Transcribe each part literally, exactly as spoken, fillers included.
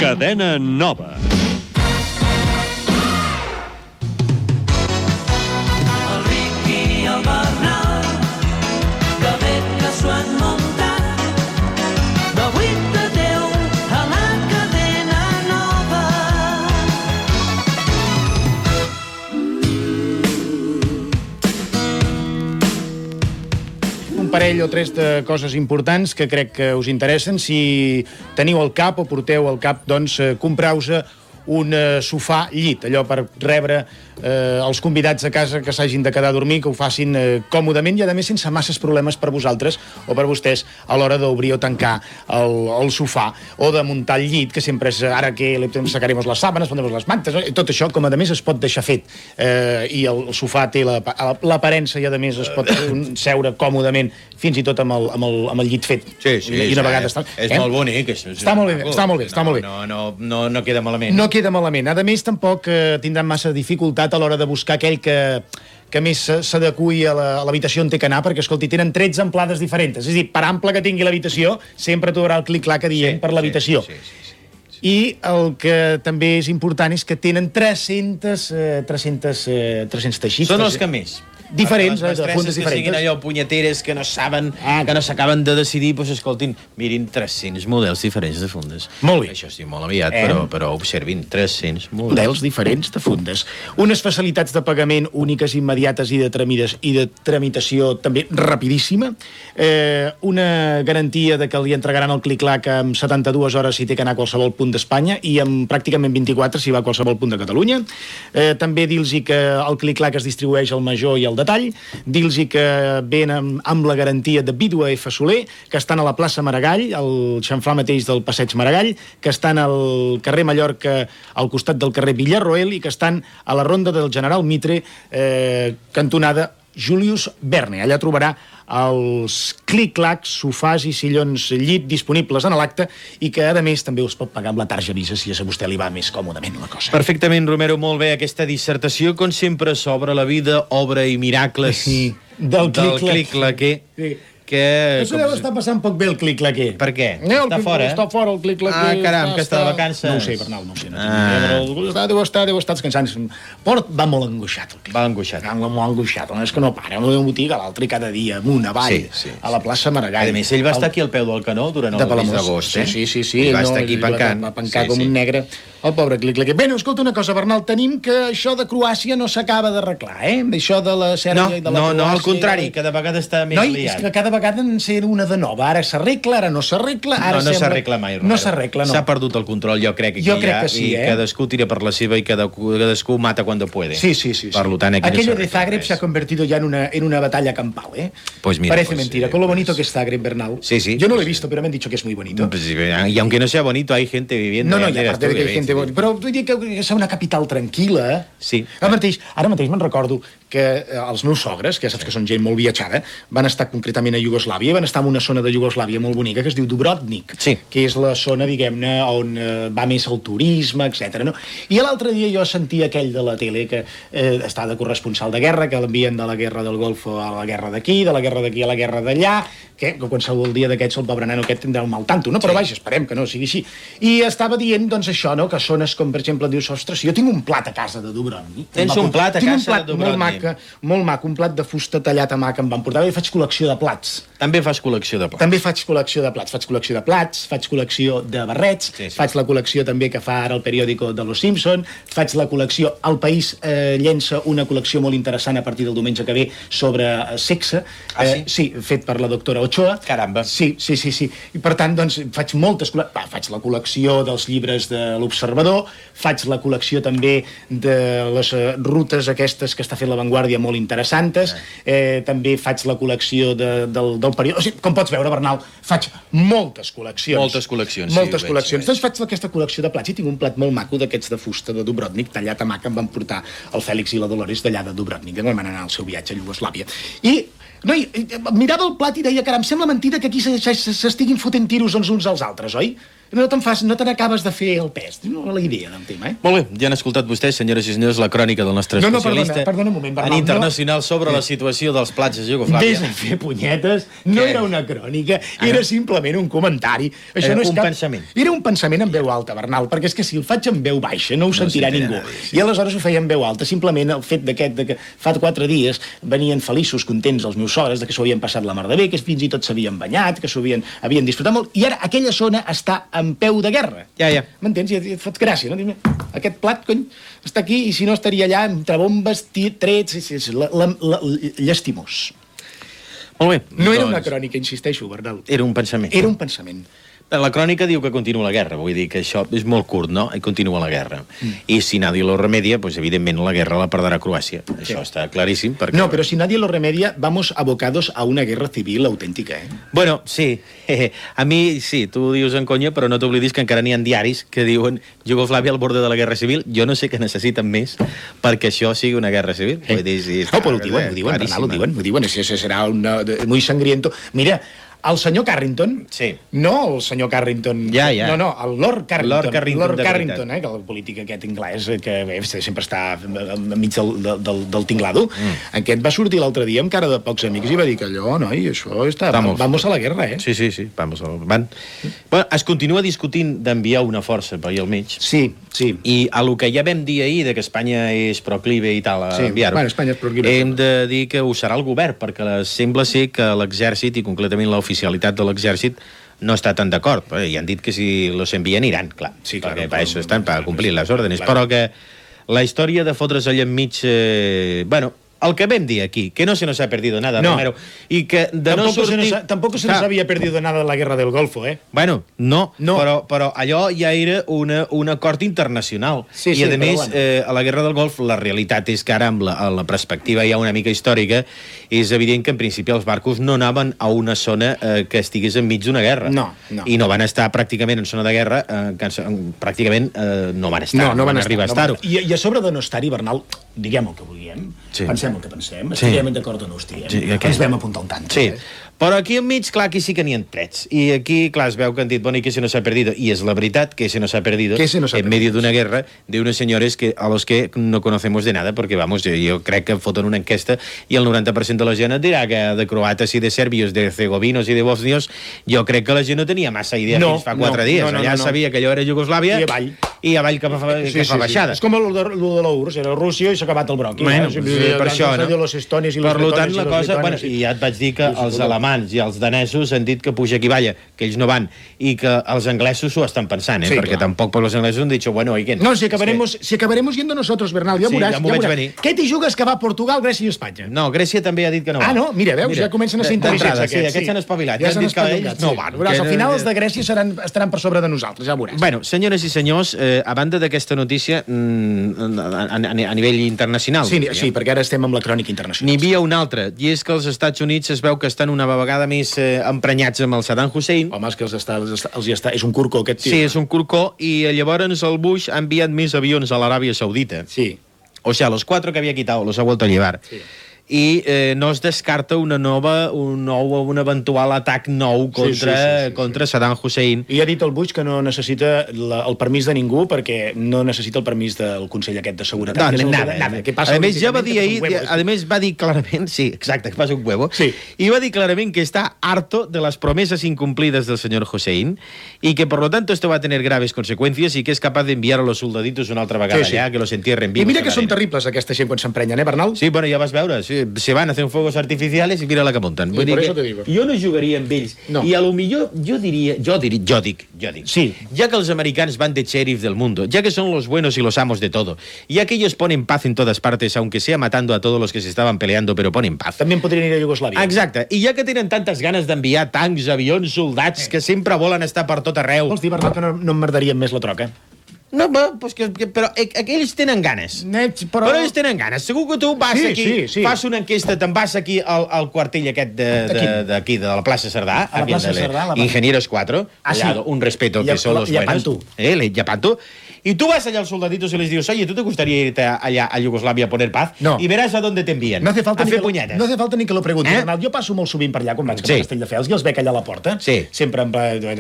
Cadena Nova. Parell o tres de coses importants que crec que us interessen. Si teniu al cap o porteu al cap, doncs compreu-vos un sofà llit, allò per rebre eh, els convidats a casa que s'hagin de quedar a dormir, que ho facin eh, còmodament i a més sense masses problemes per vosaltres o per vostès a l'hora d'obrir o tancar el, el sofà o de muntar el llit, que sempre és ara que sacaremos les sàbanes, pondremos les mantes, tot això com a més es pot deixar fet eh, i el, el sofà té l'aparença i a més es pot seure còmodament fins i tot amb el, amb el, amb el llit fet. Sí, sí, I una vegada és, està, és eh? molt bonic. És, és està molt bé, està molt bé, està no, molt bé. No, no, no, no queda malament. No queda malament. A més, tampoc eh, tindran massa dificultat a l'hora de buscar aquell que, que més s'adequi a l'habitació on té que anar, perquè, escolti, tenen tretze amplades diferents. És a dir, per ample que tingui l'habitació, sempre trobarà el clic-clac adient sí, per l'habitació. Sí, sí, sí, sí, sí. I el que també és important és que tenen tres-cents, eh, tres-cents, eh, tres-cents teixits. Són els que més. Diferents, les de fundes que diferents. siguin allò punyeteres que no saben, ah, que no s'acaben de decidir, doncs escoltin, mirin tres-cents models diferents de fundes. Molt bé. Això sí, molt aviat, eh? però, però observin, tres-cents models. Models diferents de fundes. Unes facilitats de pagament úniques, immediates i de, tramides, i de tramitació també rapidíssima. Eh, una garantia de que li entregaran el clic-clac en setanta-dues hores si té que anar a qualsevol punt d'Espanya i en pràcticament vint-i-quatre si va a qualsevol punt de Catalunya. Eh, també dir-los que el clic-clac es distribueix al major i al detall, dir-los que venen amb la garantia de Vídua F. Soler, que estan a la plaça Maragall, al xamfrà mateix del passeig Maragall, que estan al carrer Mallorca, al costat del carrer Villarroel, i que estan a la ronda del General Mitre, eh, cantonada Julius Verne. Allà trobarà els clic-clacs, sofàs i sillons llit disponibles en l'acte i que, a més, també us pot pagar amb la tarja Visa si a vostè li va més còmodament la cosa. Perfectament, Romero, molt bé. Aquesta dissertació, com sempre, sobre la vida, obra i miracles sí, del clic-claquer. Sí. Que... Això deu estar passant poc bé el clic-claquer. Per què? Eh, està fora, eh? Està fora el clic-claquer. Ah, caram, que està de vacances. No ho sé, Bernal, no ho sé. No ah. Però deu estar, deu estar descansant. Port va molt angoixat. Va angoixat. Va molt angoixat. No és que no para, una botiga a l'altra cada dia, amunt, avall, sí, sí, a la plaça Maragall. A més, ell va estar aquí al peu del canó durant el mes d'agost, eh? Sí, sí, sí. I va estar aquí pencant. Va pencar com un negre. El pobre clic-claquer. Bé, no, escolta una cosa, Bernal, tenim que això de Croàcia no s'acaba d'arreglar, eh? Això de la Sèrbia i de la Croàcia... No, no, al contrari, cada vegada està més liat. No, és que cada vegada en ser una de nova. Ara s'arregla, ara no s'arregla, ara no, no sembla... s'arregla mai, Romero. No s'arregla, no. S'ha perdut el control, jo crec, aquí jo crec ja, que sí, i eh? cadascú tira per la seva i cadascú mata quan puede. Sí, sí, sí. Per tant, aquí aquello no de Zagreb se ha convertido ya en una, en una batalla campal, ¿eh? Pues mira, Parece pues, mentira, eh, con lo bonito pues... que es Zagreb, Bernal. Sí, sí. Yo no lo he visto, pero me han dicho que es muy bonito. Pues, y aunque no sea bonito, hay gente viviendo. No, no, y aparte de que hay gente bonita. Però vull dir que és una capital tranquil·la. Sí. Ara mateix, ara mateix me'n recordo que els meus sogres, que ja saps que són gent molt viatjada, van estar concretament a Iugoslàvia, van estar en una zona de Iugoslàvia molt bonica que es diu Dubrovnik, sí. que és la zona, diguem-ne, on eh, va més el turisme, etcètera. No? I l'altre dia jo sentia aquell de la tele que eh, està de corresponsal de guerra, que l'envien de la guerra del Golfo a la guerra d'aquí, de la guerra d'aquí a la guerra d'allà, que, que qualsevol dia d'aquests el pobre nano aquest tindrà un mal tanto, no? Però sí. Vaja, esperem que no sigui així. I estava dient, doncs, això, no?, que zones com, per exemple, dius, ostres, jo tinc un plat a casa de Dubrovnik. Tens un plat a casa plat de Dubrovnik? Molt maca, molt maco, un plat de fusta tallat a mà que em van portar. I faig col·lecció de plats. També fas col·lecció de plats? També faig col·lecció de plats. Faig col·lecció de plats, faig col·lecció de barrets, sí, sí. Faig la col·lecció també que fa ara el periòdico de Los Simpson, faig la col·lecció... El País eh, llença una col·lecció molt interessant a partir del diumenge que ve sobre eh, sexe. Ah, sí? Eh, sí, fet per la doctora Ochoa. Caramba. Sí, sí, sí, sí. I per tant, doncs, faig moltes... Va, faig la col·lecció dels llibres de l'Observador, faig la col·lecció també de les uh, rutes aquestes que està fent La Vanguardia molt interessantes, eh, també faig la col·lecció de, del, del període... O sigui, com pots veure, Bernal, faig moltes col·leccions. Moltes col·leccions, Moltes sí, col·leccions. veig, Doncs faig aquesta col·lecció de plats i tinc un plat molt maco d'aquests de fusta de Dubrovnik, tallat a mà, que em van portar el Fèlix i la Dolores d'allà de Dubrovnik, que van anar al seu viatge a Iugoslàvia. I no, i, mirava el plat i deia, caram, sembla mentida que aquí s'estiguin fotent tiros els uns als altres, oi? no te'n fas, no te n'acabes de fer el pes. No la idea del tema, eh? Molt bé, ja han escoltat vostès, senyores i senyors, la crònica del nostre no, no, especialista perdona, perdona un moment, Bernal, en internacional no... sobre la situació dels plats de Iugoslàvia. Vés a fer punyetes, no Què? era una crònica, ah, era no? simplement un comentari. Això era no és un cap... pensament. Era un pensament en veu alta, Bernal, perquè és que si el faig en veu baixa no ho no sentirà ningú. Nada, sí. I aleshores ho feia en veu alta, simplement el fet d'aquest, de que fa quatre dies venien feliços, contents els meus sogres, de que s'ho havien passat la mar de bé, que fins i tot s'havien banyat, que s'ho havien, havien disfrutat molt, i ara aquella zona està en peu de guerra. Ja, ja. M'entens? I et fot gràcia, no? Aquest plat, cony, està aquí, i si no estaria allà entre bombes, trets, és la, la, la, llastimós. Molt bé. No era doncs... una crònica, insisteixo, Bernal. Era un pensament. Era un pensament. La crònica diu que continua la guerra, vull dir que això és molt curt, no? I continua la guerra. Mm. I si nadie lo remedia, pues evidentment la guerra la perdrà Croàcia. Sí. Això està claríssim. Perquè... No, però si nadie lo remedia, vamos abocados a una guerra civil auténtica, eh? Bueno, sí. A mi, sí, tu ho dius en conya, però no t'oblidis que encara n'hi ha diaris que diuen Iugoslàvia al borde de la guerra civil. Jo no sé què necessiten més perquè això sigui una guerra civil. Eh. Vull dir, sí, no, però ho diuen, ho diuen, Bernal, ho diuen, ho diuen. Això serà una, muy sangriento. Mira, el senyor Carrington, sí. no el senyor Carrington, ja, ja. no, no, el Lord Carrington, Lord Carrington, Lord Carrington eh, que el polític aquest anglès, que bé, sempre està enmig del, del, del tinglado, mm. aquest va sortir l'altre dia amb cara de pocs amics i va dir que allò, noi, això està, vamos, vamos a la guerra, eh? Sí, sí, sí, vamos a la... Van. Bueno, es continua discutint d'enviar una força per allà al mig. Sí, sí. I a lo que ja vam dir ahir, de que Espanya és proclive i tal, a sí. enviar-ho, bueno, Espanya és proclive. Hem de dir que ho serà el govern, perquè sembla ser que l'exèrcit, i concretament l'oficialitat de l'exèrcit, no està tan d'acord. I han dit que si los envien iran, clar. Sí, clar. Perquè per això estan, per complir les ordres. Però que la història de fotre's allà enmig... Eh, bueno, el que vam dir aquí, que no se nos ha perdido nada, no. Romero, i que de tampoco no sortir... Se nos, tampoco se nos había perdido nada de la guerra del Golfo, eh? Bueno, no, no. Però, però allò ja era una, un acord internacional. Sí, I, sí, a més, bueno. eh, a la guerra del Golf, la realitat és que ara, amb la, amb la perspectiva ja una mica històrica, és evident que en principi els barcos no anaven a una zona eh, que estigués enmig d'una guerra. No, no. I no van estar pràcticament en zona de guerra, eh, que pràcticament eh, no van estar. No, no, no van, van arribar estar, a estar-ho. No I, I a sobre de no estar-hi, Bernal, diguem el que vulguem, sí. pensem el que pensem, sí. estiguem d'acord o no estiguem, sí, okay. ens vam apuntar un tant. Sí. Eh? Però aquí enmig, clar, aquí sí que n'hi ha trets. I aquí, clar, es veu que han dit, bueno, i que se nos ha perdido. I és la veritat que se nos ha perdido se nos ha en medio d'una guerra de unos señores que, a los que no conocemos de nada, porque, vamos, jo, jo crec que foten una enquesta i el noranta per cent de la gent et dirà que de croates i de sèrbios, de herzegovinos i de bosnios, jo crec que la gent no tenia massa idea no, fins fa quatre no, dies. No, no, Allà no, no. sabia que allò era Iugoslàvia i avall. I avall cap a, sí, que sí, fa baixada. Sí. És com el de, el de la U R S S, era Rússia i s'ha acabat el broqui. Bueno, eh? sí, sí, per això, no? Los estonis i per los tant, la cosa... Bueno, i... I ja et vaig dir que els alemans i els danesos han dit que puja qui balla, que ells no van, i que els anglesos s'ho estan pensant, eh? Sí, perquè clar. tampoc per los anglesos han dit, bueno, oigan... No, si acabaremos, que... si acabaremos yendo nosotros, Bernal, ja sí, veuràs. Ja m'ho ja vaig veuràs. venir. Què t'hi jugues que va a Portugal, Grècia i Espanya? No, Grècia també ha dit que no va. Ah, no? Mira, veus, mira, ja comencen a ser intel·ligents aquests. Sí, aquests s'han espavilat, ja, ja han dit que ells no van. Veuràs, al final els de Grècia seran, estaran per sobre de nosaltres, ja veuràs. Bueno, senyores i senyors, eh, a banda d'aquesta notícia, mm, a, a, a nivell internacional... Sí, sí, perquè ara estem amb la crònica internacional. N'hi havia una altra, i és que els Estats Units es veu que estan una vegada més eh, emprenyats amb el Saddam Hussein. Home, és que els està, els està, els està, és un curcó aquest tio. Sí, és un curcó, i llavors el Bush ha enviat més avions a l'Aràbia Saudita. Sí. O sea, los cuatro que había quitado los ha vuelto a llevar. Sí. I eh, no es descarta una nova, un nou, un eventual atac nou contra, sí, sí, sí, sí, contra sí. Saddam Hussein. I ha dit el Bush que no necessita la, el permís de ningú perquè no necessita el permís del Consell aquest de Seguretat. No, no, nada, nada. Que passa a més, ja va dir ahir, huevo, a més va dir clarament, sí, exacte, que passa un huevo, sí. i va dir clarament que está harto de las promesas incumplidas del señor Hussein y que por lo tanto esto va a tener graves consecuencias y que es capaz de enviar a los soldaditos una altra vegada sí, sí. allà, que los entierren vivos. I mira que són terribles aquesta gent quan s'emprenyen, eh, Bernal? Sí, bueno, ja vas veure, sí, se van a hacer un fuegos artificiales y mira la que montan. Sí, por eso te digo. Jo no jugaria amb ells. No. I a lo millor jo diria, jo diria, jo dic, jo dic. Sí. Ya que los americanos van de sheriff del mundo, ya que son los buenos y los amos de todo, ya que ellos ponen paz en todas partes, aunque sea matando a todos los que se estaban peleando, pero ponen paz. També podrien ir a Iugoslàvia. Exacte. I ja que tenen tantes ganes d'enviar tancs, avions, soldats, eh. que sempre volen estar per tot arreu... Vols dir, Bernal, que no, no em merdarien més la troca? No, però, que, però aquells tenen ganes. Net, però... però ells tenen ganes. Segur que tu vas sí, aquí, sí, sí. fas una enquesta, te'n vas aquí al, al quartell aquest d'aquí, de, de, de la plaça Cerdà, a la plaça de Cerdà, la... Ingenieros quatre, ah, sí. allà, un respeto que són los buenos. Eh, el Llapanto. Y tú vas allá al soldaditos y les dices, oye, ¿tú te gustaría irte allá a Yugoslavia a poner paz? No. Y verás a dónde te envían. No hace falta, a ni fer que, punyetes. no hace falta ni que lo pregunti. Eh? Jo passo molt sovint per allà, quan vaig cap sí. a Castelldefels, i els veig allà a la porta, sí. sempre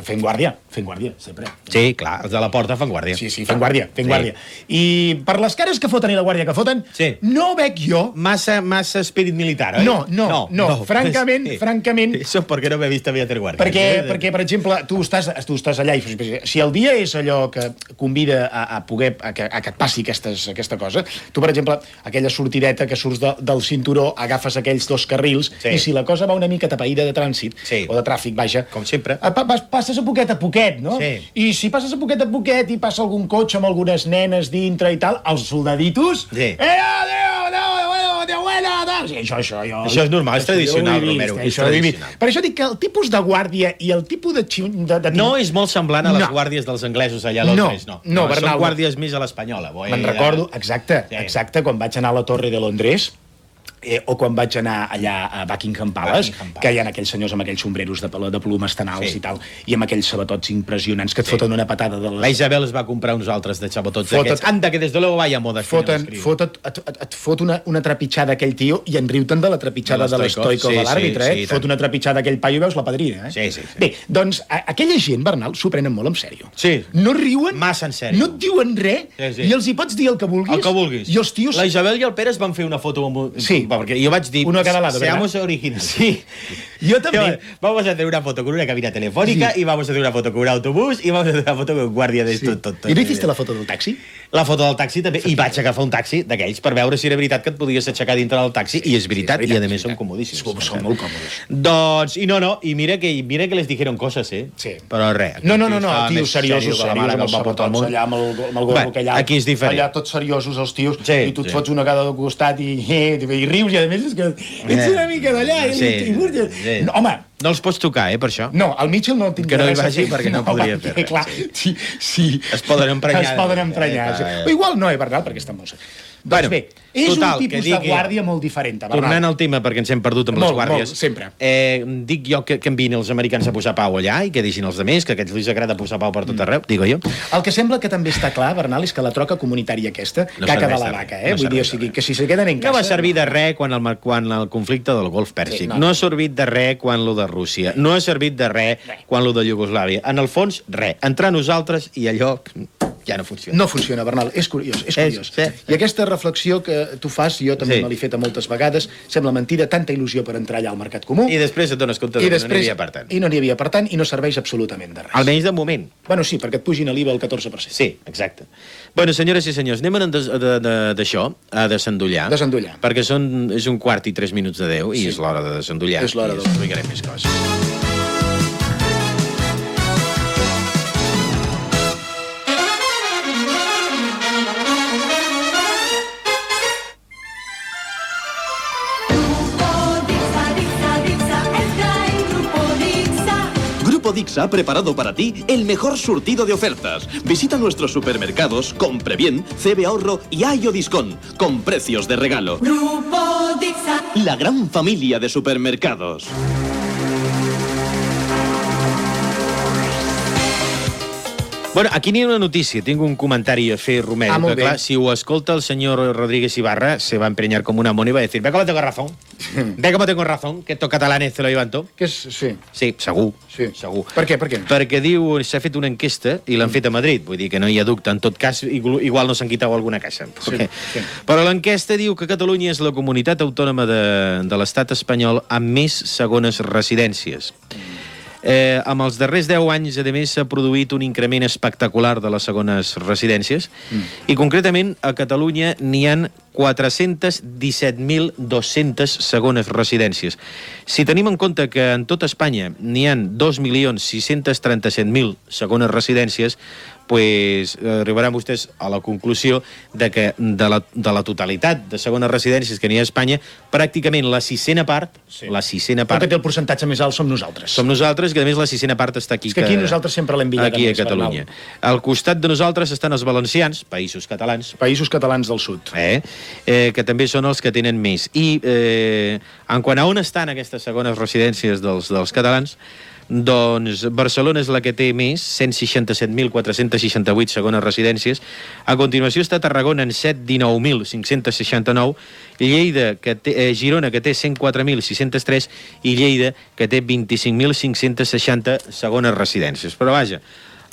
fent guàrdia, fent guàrdia, sempre. Sí, clar, els de la porta fan guàrdia. Sí, sí, fent guàrdia, fent sí. guàrdia. I per les cares que foten i la guàrdia que foten, sí. no veig jo... Massa, massa espírit militar, oi? No, no, no, no. no. francament, sí. francament... Això perquè no m'he vist a Beatriz Guàrdia. Perquè, eh? perquè, per exemple, tu estàs, tu estàs allà i si el dia és allò que convida a, a poder, a que, a que et passi aquestes, aquesta cosa, tu, per exemple, aquella sortideta que surts de, del cinturó, agafes aquells dos carrils, sí. i si la cosa va una mica tapaïda de trànsit, sí. o de tràfic, vaja... Com sempre. Pa, pas, passes a poquet a poquet, no? Sí. I si passes a poquet a poquet i passa algun cotxe amb algunes nenes dintre i tal, els soldaditos... Sí. Eh, adéu, adéu, adéu, adéu, adéu, sí, això, això, jo... Això és normal, és tradicional, Romero, és tradicional. Per això dic que el tipus de guàrdia i el tipus de... de, de... No és molt semblant a les no. guàrdies dels anglesos allà a Londres, no. No, no, no són guàrdies més a l'espanyola. Me'n recordo, exacte, sí. exacte, quan vaig anar a la Torre de Londres, eh, o quan vaig anar allà a Buckingham Palace, Buckingham Palace. que hi ha aquells senyors amb aquells sombreros de, de plomes tan alts sí. i tal, i amb aquells sabatots impressionants que et sí. foten una patada de les... La Isabel es va comprar uns altres de sabotots d'aquests. Anda, que des de luego vaya moda. Foten, foten, et, et, et fot una, una trepitjada aquell tio i en riu-te'n de la trepitjada de l'Stoico sí, de l'àrbitre, sí, eh? Sí, fot una trepitjada aquell paio i veus la padrina, eh? Sí, sí, sí. Bé, doncs, a, aquella gent, Bernal, s'ho prenen molt en sèrio. Sí. No riuen... Massa en sèrio. No et diuen res, sí, sí. i els hi pots dir el que vulguis. El que vulguis. I els tios... La Isabel i el Pere es van fer una foto amb... Sí. Perquè jo vaig dir... Uno a cada lado, seamos originales. Sí. Yo también. Vamos a hacer una foto con una cabina telefónica sí. y vamos a hacer una foto con un autobús y vamos a hacer una foto con un guàrdia de sí. tot, tot, tot. I no hiciste la foto del taxi? La foto del taxi també. I vaig agafar un taxi d'aquells per veure si era veritat que et podies aixecar dintre del taxi. Sí, I és veritat, sí, és veritat, i a més són comodíssims. Som, són molt còmodes. Doncs, i no, no, i mira que, mira que les dijeron coses, eh? Sí. Però res. No, no, no, no, tios seriosos, seriosos, amb els sabotots allà, amb el, amb el gorro que allà. Aquí és diferent. Allà tots seriosos, els tios, sí, i tu et sí. fots una cada costat i, i, i rius, i a més és que ets una mica d'allà. Sí, i, i, sí. No, home, no els pots tocar, eh, per això. No, el Mitchell no el tinc que no hi vagi perquè no, no podria fer res. Clar, sí, sí. Es poden emprenyar. Es poden emprenyar. Eh, sí. O igual no, eh, Bernal, perquè estan molt... Bueno, doncs bé, és total, un tipus de guàrdia molt diferent, Bernal. Tornant al tema, perquè ens hem perdut amb molt, les guàrdies. Molt, sempre. Eh, dic jo que, que envien els americans a posar pau allà i que deixin els altres, que a aquests els agrada posar pau per tot arreu, mm. digo jo. El que sembla que també està clar, Bernal, és que la troca comunitària aquesta, no caca de la vaca, eh? No Vull dir, o sigui, que si se queden en casa... No va servir de res quan el, quan el conflicte del Golf Pèrsic. Sí, no. no ha servit de res quan lo de Rússia. No ha servit de res quan lo de Iugoslàvia. En el fons, res. Entrar nosaltres i allò... ja no funciona. No funciona, Bernal, és curiós, és curiós. És, sí. I aquesta reflexió que tu fas, jo també sí. me l'he feta moltes vegades, sembla mentida, tanta il·lusió per entrar allà al mercat comú. I després et dones compte que no n'hi havia per tant. I no n'hi havia per tant, i no serveix absolutament de res. Almenys de moment. Bueno, sí, perquè et pugin a l'I V A el catorze per cent. Sí, exacte. Bueno, senyores i senyors, anem d'això, a desendollar. Desendollar. Perquè són, és un quart i tres minuts de deu, i sí. és l'hora de desendollar. És l'hora de... de... explicarem més coses. Grupo Dixa ha preparado para ti el mejor surtido de ofertas. Visita nuestros supermercados, compre bien, C B Ahorro y Ayo Discount, con precios de regalo. Grupo Dixa. La gran familia de supermercados. Bueno, aquí n'hi ha una notícia, tinc un comentari a fer, Romero, ah, que clar, si ho escolta el senyor Rodríguez Ibarra, se va a empreñar como una mona y va a decir, ve como tengo razón, ve como tengo razón, que estos catalanes se lo llevan tot. Que és, sí. Sí, segur, sí. segur. Per què, per què? Perquè diu, s'ha fet una enquesta i l'han mm. fet a Madrid, vull dir que no hi ha dubte, en tot cas, igual no s'han quitat alguna casa. Sí, okay. sí. Però l'enquesta diu que Catalunya és la comunitat autònoma de, de l'estat espanyol amb més segones residències. Mm. Eh, amb els darrers deu anys, a més, s'ha produït un increment espectacular de les segones residències mm. i, concretament, a Catalunya n'hi han quatre-cents disset mil dos-centes segones residències. Si tenim en compte que en tota Espanya n'hi han dos milions sis-cents trenta-set mil segones residències, pues, arribaran vostès a la conclusió de que de la, de la totalitat de segones residències que n'hi ha a Espanya, pràcticament la sisena part, sí. la sisena part... El que té el percentatge més alt som nosaltres. Som nosaltres, que a més la sisena part està aquí. És que aquí que, nosaltres sempre l'hem billat. Aquí a Catalunya. Al costat de nosaltres estan els valencians, països catalans. Països catalans del sud. Eh? Eh, que també són els que tenen més. I eh, en quant a on estan aquestes segones residències dels, dels catalans, doncs Barcelona és la que té més, cent seixanta-set mil quatre-cents seixanta-vuit segones residències. A continuació està Tarragona en cent dinou mil cinc-cents seixanta-nou, Lleida, que té, eh, Girona, que té cent quatre mil sis-cents tres, i Lleida, que té vint-i-cinc mil cinc-cents seixanta segones residències. Però vaja,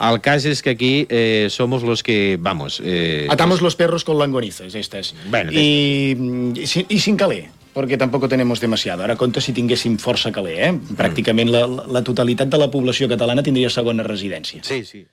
el cas és que aquí eh, somos los que, vamos... Eh, Atamos los perros con longonizas, estas. Bueno, y, y, y sin calé, porque tampoco tenemos demasiado. Ara, compte si tinguéssim força calé, eh? Pràcticament la, la totalitat de la població catalana tindria segona residència. Sí, sí.